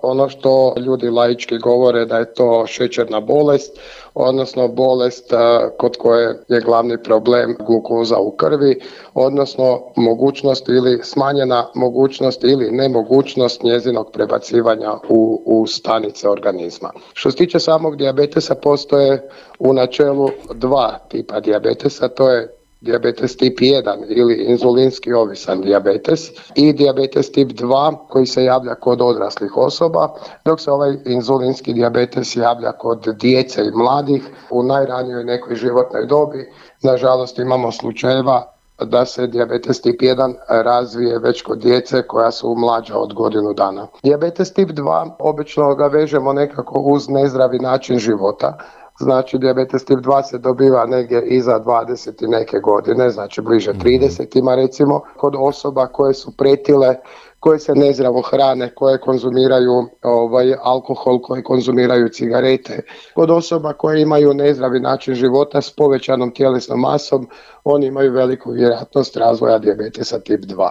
Ono što ljudi laički govore da je to šećerna bolest, odnosno bolest kod koje je glavni problem glukoza u krvi, odnosno mogućnost ili smanjena mogućnost ili nemogućnost njezinog prebacivanja u stanice organizma. Što se tiče samog dijabetesa, postoje u načelu dva tipa dijabetesa, to je dijabetes tip 1 ili inzulinski ovisan dijabetes i dijabetes tip 2 koji se javlja kod odraslih osoba, dok se ovaj inzulinski dijabetes javlja kod djece i mladih u najranijoj nekoj životnoj dobi. Nažalost imamo slučajeva da se dijabetes tip 1 razvije već kod djece koja su mlađa od godinu dana. Dijabetes tip 2 obično ga vežemo nekako uz nezdravi način života. Znači, dijabetes tip 2 se dobiva negdje iza 20 i neke godine, znači bliže 30-ima recimo, kod osoba koje su pretile, koje se nezdravo hrane, koje konzumiraju alkohol, koje konzumiraju cigarete. Kod osoba koje imaju nezdravi način života s povećanom tjelesnom masom, oni imaju veliku vjerojatnost razvoja dijabetesa tip 2.